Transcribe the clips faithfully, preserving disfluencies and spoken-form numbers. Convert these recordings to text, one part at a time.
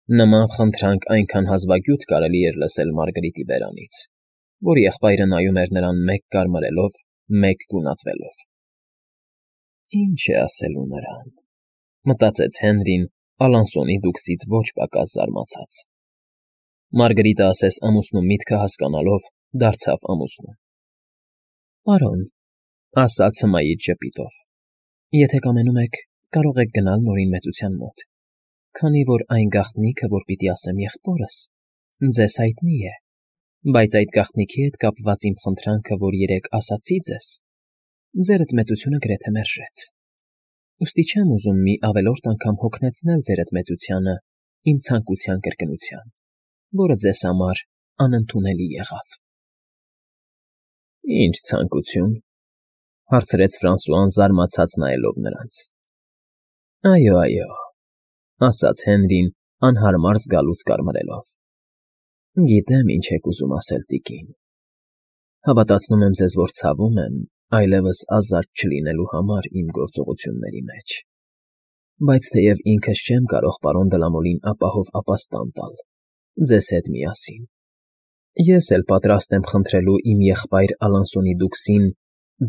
Նման խնդրանք այնքան հազվագյուտ կարելի էր լսել Մարգարիտի բերանից, որ եղբայրը նայում էր նրան մեկ կարմրելով, մեկ գունատվելով։ «Ինչ է ասելու նրան,֊ մտածեց Հենրին Ալանսոնի դուքսից ոչ պակաս զարմացած։ Մարգարիտը, ասես ամուսնու միտքը հասկանալով, դարձավ ամուսնու։ «Պարոն,֊ ասաց հմայիչ ժպիտով,֊ եթե կամենում եք, կարող եք գնալ Նորին մեծության մոտ, քանի որ այն գաղտնիքը, որ պիտի ասեմ եղբորս, ձեզ հայտնի է, բայց այդ գաղտնիքի հետ կապված իմ խնդրանքը, որ երեկ ասացի ձեզ, ձերդ մեծությունը գրեթե մերժեց, ուստի չեմ ուզում մի ավելորդ անգամ հոգնեցնել ձերդ մեծությանը իմ ցանկության կրկնության, որը ձեզ համար անընդունելի եղավ»։ «Ի՞նչ ցանկություն,֊ հարցրեց Ֆրանսուան զարմացած նայելով նրանց։ «Այո, այո,֊ ասաց Հենրին անհարմար զգալուց կարմրելով,֊ գիտեմ ինչ եք ուզում ասել, տիկին. հավատացնում եմ ձեզ, որ ցավում եմ այլևս ազատ չլինելու համար իմ գործողությունների մեջ, բայց թեև ինքս չեմ կարող պարոն Դլամոլին ապահով ապաստան տալ ձեզ հետ միասին, ես էլ պատրաստ եմ խնդրելու իմ եղբայր Ալանսոնի դուքսին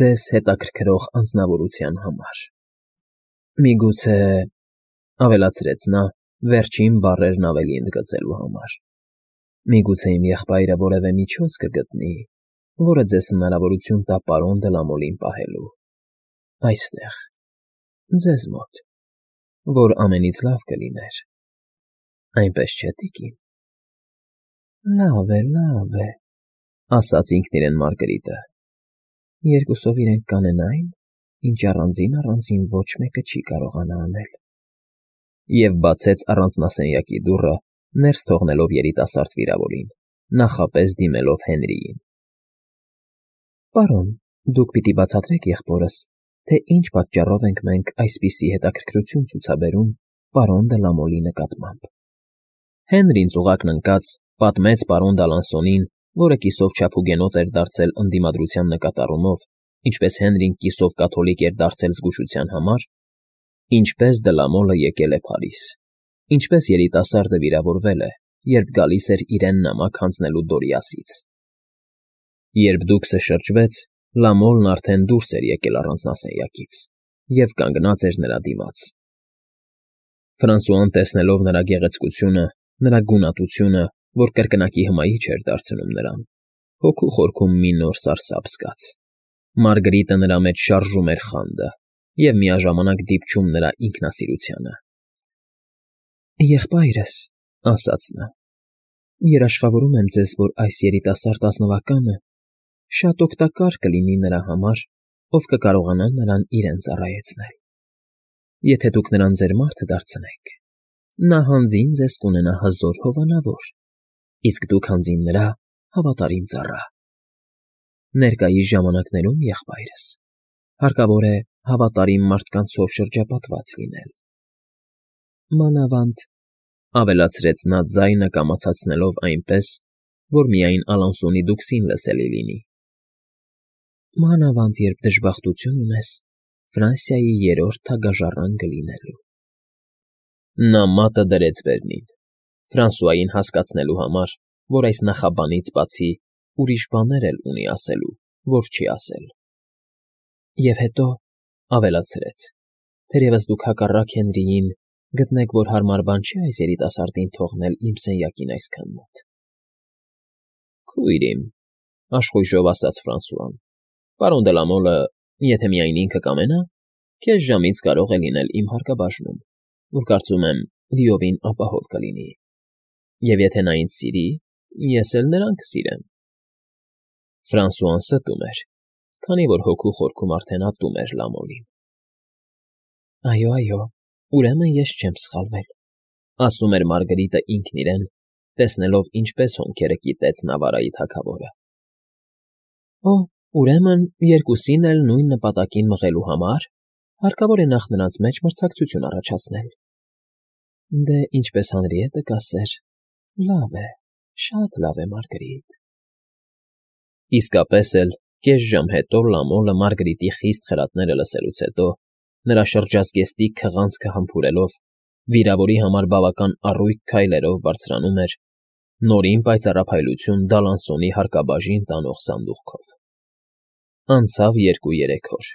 ձեզ հետաքրքրող անձնավորության համար։ Միգուցե,֊ ավելացրեց նա, վերջին բառերն ավելի ընդգծելու համար,֊ միգուցե իմ եղբայրը որևէ միջոց կգտնի, որը ձեզ հնարավորություն տա պարոն Դլամոլին պահելու այստեղ, ձեզ մոտ, որ ամենից լավ կլիներ, այնպես չէ՞, տիկին»։ «Լավ է, լավ է,֊ ասաց ինքն իրեն Մարգարիտը,֊ երկուսով իրենք կանեն այն, ինչ առանձին֊առանձին ոչ մեկը չի կարողանա անել»։ Եվ բացեց առանձնասենյակի դուռը, ներս թողնելով երիտասարդ վիրավորին, նախապես դիմելով Հենրիին։ «Պարոն, դուք պիտի բացատրեք եղբորս, թե ինչ պատճառով ենք մենք այսպիսի հետաքրքրություն ցուցաբերում պարոն Դլամոլի նկատմամբ»։ Հենրին ծուղակն ընկած պատմեց պարոն Դալանսոնին, որը կիսով չափուկենոտ էր դարձել ընդդիմադրության նկատառումով, ինչպես Հենրին կիսով կաթոլիկ էր դարձել զգուշության համար, ինչպես Դլամոլը եկել է Փարիզ, ինչպես երիտասարդը վիրավորվել է, երբ գալիս էր իրեն նամակ հանձնելու Դորիասից։ Երբ դուքսը շրջվեց, Լամոլն արդեն դուրս էր եկել առանձնասենյակից և կանգնած էր նրա դիմաց։ Ֆրանսուան, տեսնելով նրա գեղեցկությունը, նրա գունատությունը, որ կրկնակի հմայիչ էր դարձնում նրան, հոգու խորքում մի նոր սարսափ զգաց։ Մարգարիտը նրա մեջ շարժում էր խանդը և միաժամանակ դիպչում նրա ինքնասիրությանը։ «Եղբայրս,֊ ասաց նա,֊ երաշխավորում եմ ձեզ, որ այս երիտասարդ ազնվականը շատ օգտակար կլինի նրա համար, ով կկարողանա նրան իրեն ծառայեցնել։ Եթե դուք նրան ձեր մարդը դարձնեք, նա հանձին ձեզ կունենա հզոր հովանավոր, իսկ դուք հանձին նրա հավատարիմ ծառա։ Ներկայիս ժամանակներում, եղբայրս, հարկավոր է հավատարիմ մարդկանցով շրջապատված լինել։ Մանավանդ,֊ ավելացրեց նա ձայնը կամացացնելով այնպես, որ միայն Ալանսոնի դուքսին լսելի լինի,֊ մանավանդ, երբ դժբախտություն ունես Ֆրանսիայի երրորդ թագաժառանգը լինելու»։ Նա մատը դրեց բերնին, Ֆրանսուային հասկացնելու համար, որ այս նախաբանից բացի ուրիշ բաներ էլ ունի ասելու, որ չի ասել։ «Եվ հետո,֊ ավելացրեց,֊ թերևս դուք հակառակ Հենրիին գտնեք, որ հարմար բան չէ այս երիտասարդին թողնել իմ սենյակին այսքան մոտ»։ «Քույր իմ,֊ աշխույժով ասաց Ֆրանսուան,֊ պարոն Դլամոլը, եթե միայն ինքը կամենա, քեզ ժամից կարող է լինել իմ հարկաբաժնում, որ կարծում եմ լիովին ապահով կլինի։ Եվ եթե նա ինձ սիրի, ես էլ նրան կսիրեմ»։ Ֆրանսուան ստում էր, քանի որ հոգու խորքում արդեն ատում էր Լամոլին։ «Այո, այո, ուրեմն ես չեմ սխալվել,֊ ասում էր Մարգարիտը ինքն իրեն, տեսնելով ինչպես հոնքերը կիտեց Նավարայի թագավորը։ «Օ, ուրեմն երկուսին էլ նույն նպատակին մղելու համար հարկավոր է նախ նրանց մեջ մրցակցություն առաջացնել։ Դե, ինչպես Հանրիետը կասեր, լավ է, շատ լավ է, Մարգարիտ»։ Իսկապես էլ, կես ժամ հետո Լամոլը Մարգարիտի խիստ խրատները լսելուց հետո, նրա շրջազգեստի քղանցքը համբուրելով, Վիրավորի համար բավական առույգ քայլերով բարձրանում էր, նորին պայծառափայլություն Դալանսոնի հարկաբաժին տանող սանդուղքով։ Անցավ երկու֊երեք օր,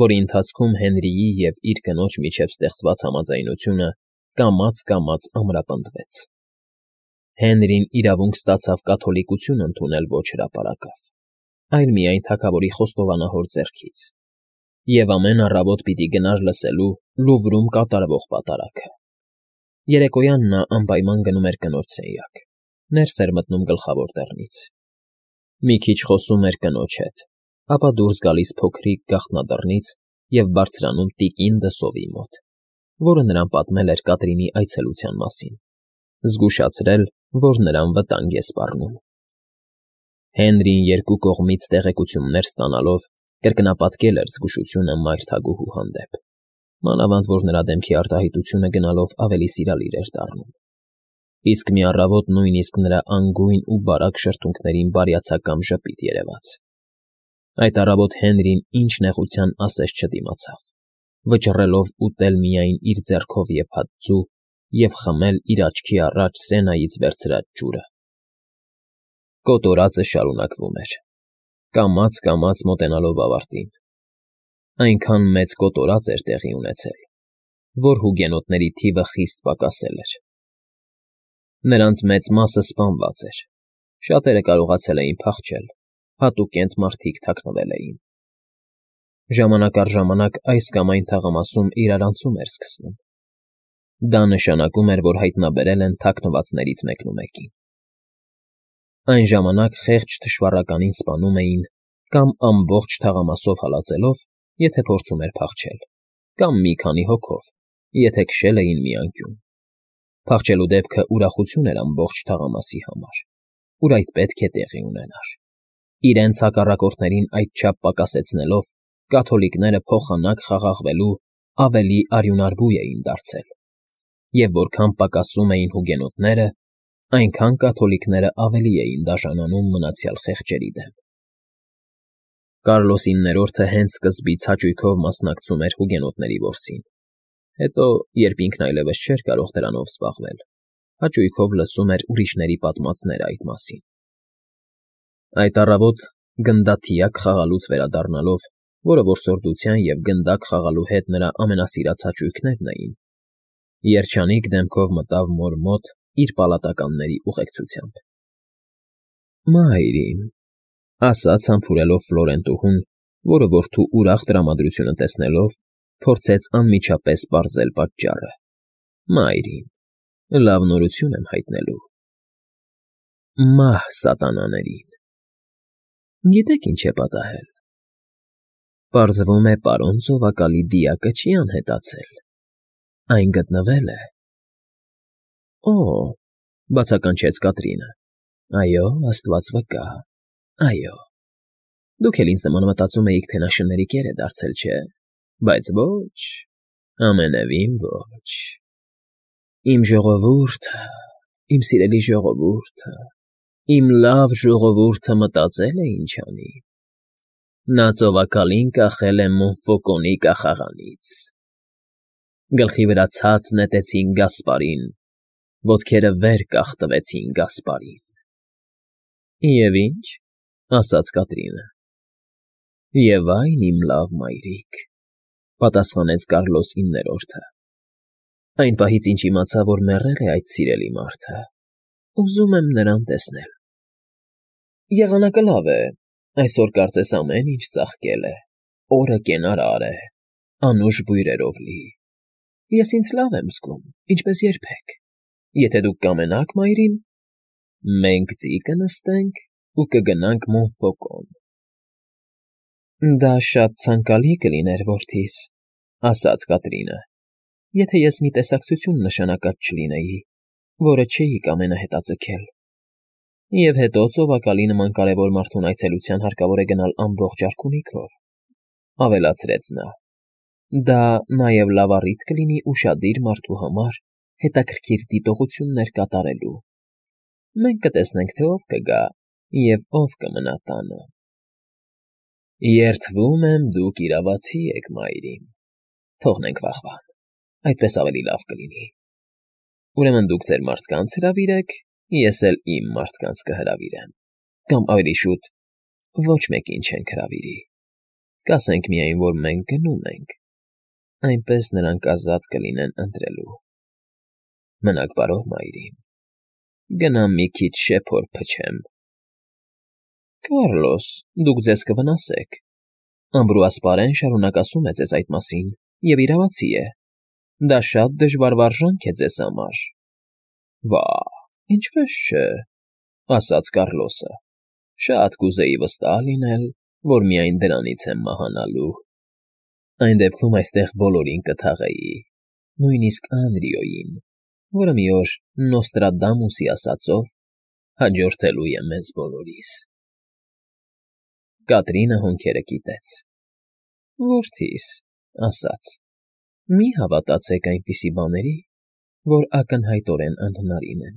որի ընթացքում Հենրիի և իր կնոջ միջև ստեղծված համաձայնությունը կամաց֊կամաց ամրապնդվեց։ Հենրին իրավունք ստացավ կաթոլիկություն ընդունել ոչ հրապարակավ, այլ միայն թագավորի խոստովանահոր ձեռքից, և ամեն առավոտ պիտի գնար լսելու Լուվրում կատարվող պատարագը։ Երեկոյան նա անպայման գնում էր կնոջ սենյակ, ներս էր մտնում գլխավոր դռնից, մի քիչ խոսում էր կնոջ հետ, ապա դուրս գալիս փոքրիկ գաղտնադռնից և բարձրանում տիկին դսովի մոտ, որը նրան պատմել էր Կատրինի այցելության մասին, զգուշացրել, որ նրան վտանգ է սպառնում։ Հենրին երկու կողմից տեղեկություններ ստանալով կրկնապատկել էր զգուշությունը մայր թագուհու հանդեպ, մանավանդ որ նրա դեմքի արտահայտությունը գնալով ավելի սիրալիր էր դառնում, իսկ մի առավոտ նույնիսկ նրա անգույն ու բարակ շրթունքներին բարյացակամ ժպիտ երևաց։ Այդ առավոտ Հենրին ինչ նեղության ասես չդիմացավ, վճռելով ուտել միայն իր ձեռքով եփած ձու և խմել իր աչքի առաջ Սենայից վերցրած ջուրը։ Կոտորածը շարունակվում էր, կամաց֊կամաց մոտենալով ավարտին, այնքան մեծ կոտորած էր տեղի ունեցել, որ հուգենոտների թիվը խիստ պակասել էր։ Նրանց մեծ մասը սպանված էր, շատերը կարողացել էին փախչել, հատուկենտ մարդիկ թաքնվել էին։ Ժամանակ առ ժամանակ այս կամ այն թաղամասում իրարանցում էր սկսվում։ Դա նշանակում էր, որ հայտնաբերել են թաքնվածներից մեկնումեկին։ Այն ժամանակ խեղճ թշվառականին սպանում էին կամ ամբողջ թաղամասով հալածելով, եթե փորձում էր փախչել, կամ մի քանի հոգով, եթե քշել էին մի անկյուն։ Փախչելու դեպքը ուրախություն էր ամբողջ թաղամասի համար, ուր այդ պետք է տեղի ունենար։ Իրենց հակառակորդներին այդչափ պակասեցնելով, կաթոլիկները փոխանակ խաղաղվելու ավելի արյունարբու էին դարձել, և որքան պակասում էին հուգենոտները, այնքան կաթոլիկները ավելի էին դաժանանում մնացյալ խեղճերի դեմ։ Կարլոս իններորդը հենց սկզբից հաճույքով մասնակցում էր հուգենոտների որսին, հետո, երբ ինքն այլևս չէր կարող դրանով զբաղվել, հաճույքով լսում էր ուրիշների պատմածները այդ մասին։ Այդ առավոտ, գնդաթիակ խաղալուց վերադառնալով, որը որսորդության և գնդակ խաղալու հետ նրա ամենասիրած հաճույքներն էին, երջանիկ դեմքով մտավ մոր մոտ իր պալատականների ուղեկցությամբ։ ֊ Մայրիկ,֊ ասաց համբուրելով Ֆլորենտուհուն, որը որդու ուրախ տրամադրությունը տեսնելով, փորձեց անմիջապես պարզել պատճառը։ ֊ Մայրիկ, լավ նորություն եմ հայտնելու։ ֊ Մահ սատանաներին։ ֊ Գիտեք ինչ է պատահել։ Պարզվում է, պարոն ծովակալի դիակը չի անհետացել, այն գտնվել է։ ֊ Օ՜, ֊ բացականչեց Կատրինը։ ֊ Այո, աստված վկա, այո։ Դուք էլ ինձ նման մտածում էիք, թե նա շների կեր է դարձել, չէ՞։ Բայց ոչ, ամենևին ոչ։ Իմ ժողովուրդը, իմ սիրելի ժողովուրդը, իմ լավ ժողովուրդը մտածել է ինչ անի. նա ծովակալին կախել է Մոնֆոկոնի կախաղանից։ Գլխի վրա ցած նետեցին Գասպարին, ոտքերը վեր կախտվեցին Գասպարին։ ֊ Եվ ի՞նչ,֊ ասաց Կատրինը։ ֊ Եվ այն, իմ լավ մայրիկ,֊ պատասխանեց Կարլոս իններորդը։ Այն պահից, ինչ իմացա, որ մեռել է այդ սիրելի մարդը, ուզում եմ նրան տեսնել։ Եղանակը լավ է, այսօր կարծես ամեն ինչ ծաղկել է, օրը կենարար է, անուշ բույրերով լի։ Ես ինձ լավ եմ զգում, ինչպես երբեք։ Եթե դուք կամենաք, մայրիկ, մենք ձի կնստենք ու կգնանք Մոնֆոկոն։ ֊ Դա շատ ցանկալի կլիներ, որդիս,֊ ասաց Կատրինը, եթե ես մի տեսակցություն նշանակած չլինեի, որը չէիք ամենահետաձգել։ Եվ հետո ծովակալի նման կարևոր մարդուն այցելության հարկավոր է գնալ ամբողջ արքունիքով,֊ ավելացրեց նա։ Դա նաև լավ առիթ կլինի ուշադիր մարդու համար հետաքրքիր դիտողություններ կատարելու։ Մենք կտեսնենք, թե ով կգա և ով կմնա տանը։ ֊ Երդվում եմ, դուք իրավացի եք, մայրիկ, թողնենք վաղվան, այդպես ավելի լավ կլինի։ Ուրեմն դուք ձեր մարդկանց հրավիրեք, ես էլ իմ մարդկանց կհրավիրեմ, կամ ավելի շուտ ոչ մեկին չենք հրավիրի, կասենք միայն, որ մենք գնում ենք, այնպես նրանք ազատ կլինեն ընտրելու։ Մնաք բարով, մայրիկ, գնամ մի քիչ շեփոր փչեմ։ Կառլոս, դուք ձեզ կվնասեք, ամբրուասպարեն շարունակ ասում է ձեզ այդ մասին, և իրավացի է, դա շատ դժվար վարժանք է ձեզ համար։ Վա՜, ինչպես չէ, ասաց Կառլոսը, շատ կուզեի վստահ լինել, որ միայն դրանից եմ մահանալու։ Այն դեպքում այստեղ բոլորին կթաղեի, նույնիսկ Անրիոյին, որը մի օր Նոստրադամուսի ասածով հաջորդելու է մեզ բոլորիս։ Կատրինը հոնքերը կիտեց։ Որդիս, ասաց, մի հավատացեք այնպիսի բաների, որ ակնհայտորեն անհնարին են,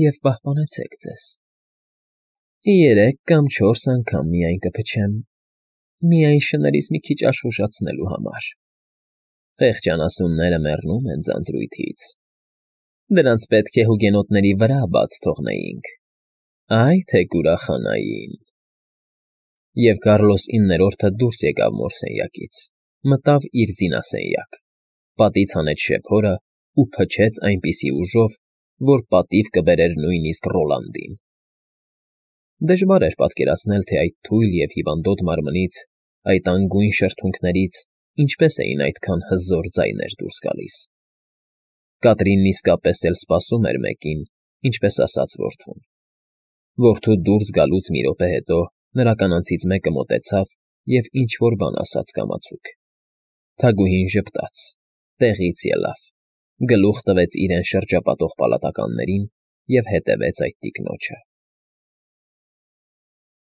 և պահպանեցեք ձեզ։ Երեք կամ չորս անգամ միայն կփչեմ, միայն շներից մի քիչ աշխուժացնելու համար։ Խեղճ անասունները մեռնում են ձանձրույթից, դրանց պետք է հուգենոտների վրա բաց թողնեինք, այ թե կուրախանային։ Եվ Կառլոս իններորդը դուրս եկավ մորսենյակից, մտավ իր զինասենյակ, պատից հանեց շեփորը ու փչեց այնպիսի ուժով, որ պատիվ կբերեր նույնիսկ Ռոլանդին։ Դժվար էր պատկերացնել, թե այդ թույլ և հիվանդոտ մարմնից, այդ անգույն շրթունքներից ինչպես էին այդքան հզոր ձայներ դուրս գալիս։ Կատրինն իսկապես էլ սպասում էր մեկին, ինչպես ասաց որդուն։ Որդու դուրս գալուց մի րոպե հետո նրա կանանցից մեկը մոտեցավ և ինչ֊որ բան ասաց կամացուկ։ Թագուհին ժպտաց, տեղից ելավ, գլուխ տվեց իրեն շրջապատող պալատականներին և հետևեց այդ տիկնոջը։